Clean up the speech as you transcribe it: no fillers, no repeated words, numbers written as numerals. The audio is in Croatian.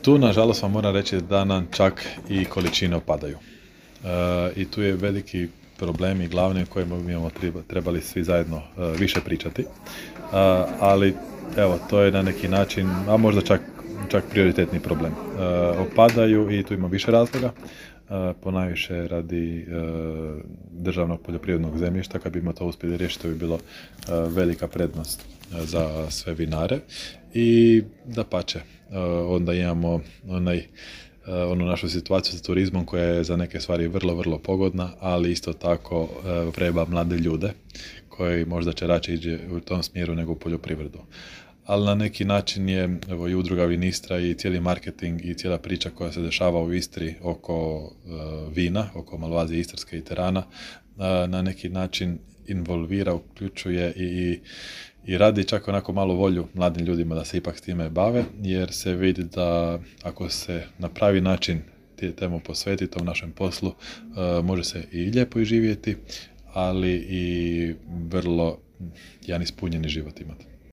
tu nažalost vam moram reći da nam čak i količine opadaju. I tu je veliki problem i glavni o kojima bi trebali svi zajedno više pričati. Ali evo, to je na neki način, a možda čak prioritetni problem. Opadaju i tu ima više razloga. Ponajviše radi državnog poljoprivrednog zemljišta. Kad bismo to uspjeli riješiti, to bi bilo velika prednost za sve vinare. I dapače, onda imamo onu našu situaciju sa turizmom koja je za neke stvari vrlo, vrlo pogodna, ali isto tako vreba mlade ljude koji možda će rađe ići u tom smjeru nego u poljoprivredu. Ali na neki način je i udruga vinistra i cijeli marketing i cijela priča koja se dešava u Istri oko vina, oko Malvazije istarske i terana, na neki način involvira, uključuje i radi čak onako malo volju mladim ljudima da se ipak s time bave, jer se vidi da ako se na pravi način temu posveti tom našem poslu, može se i lijepo živjeti, ali i vrlo jedan ispunjeni život imati.